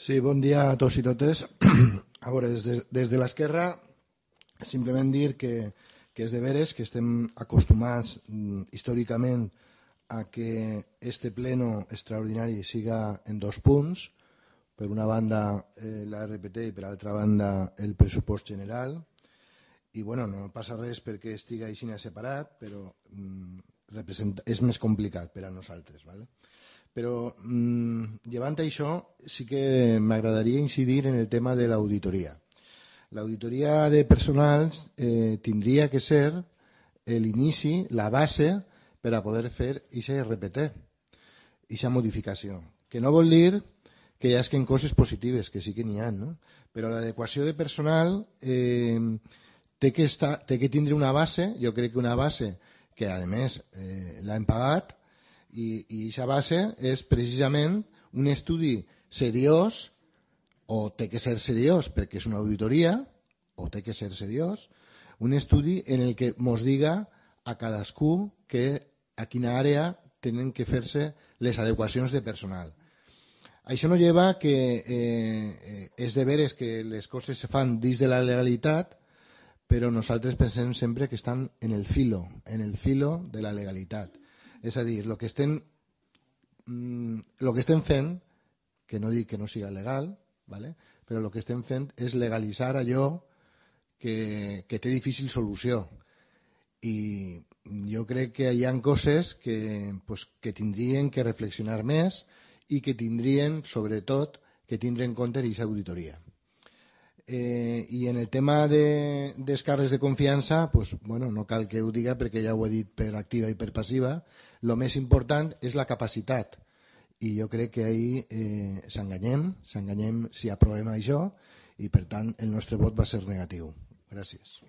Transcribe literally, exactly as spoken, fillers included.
Sí, bon dia a tots i totes. A veure, des de, des de l'esquerra, simplement dir que, que és de veres que estem acostumats mm, històricament a que este pleno extraordinari siga en dos punts. Per una banda, eh, la R P T i per altra banda, el pressupost general. I bueno, no passa res perquè estigui així separat, però mm, és més complicat per a nosaltres. ¿vale? Però, mmm, llevant això, sí que m'agradaria incidir en el tema de l'auditoria. L'auditoria de personals eh, tindria que ser l'inici, la base, per a poder fer aquesta R P T, aquesta modificació. Que no vol dir que hi hagin coses positives, que sí que n'hi ha, no? Però l'adequació de personal eh, té, que estar, té que tindre una base, jo crec que una base que, a més, eh, l'hem pagat, i aquesta base és precisament un estudi seriós, o té que ser seriós perquè és una auditoria, o té que ser seriós, un estudi en el que ens diga a cadascú que a quina àrea tenen que fer-se les adequacions de personal. Això no lleva que eh, és de veres que les coses se fan dins de la legalitat, però nosaltres pensem sempre que estan en el filo, en el filo de la legalitat. És a dir, el que estem, lo que estem fent, que no dic que no siga legal, ¿vale? Però el que estem fent és legalitzar allò que, que té difícil solució. I jo crec que hi ha coses que, pues, que tindrien que reflexionar més i que tindrien, sobretot, que tindre en compte aquesta auditoria. Eh, I en el tema de, dels càrrecs de confiança, pues, bueno, no cal que ho diga perquè ja ho he dit per activa i per passiva. El més important és la capacitat. I jo crec que ahir eh, s'enganyem, s'enganyem si aprovem això i, per tant, el nostre vot va ser negatiu. Gràcies.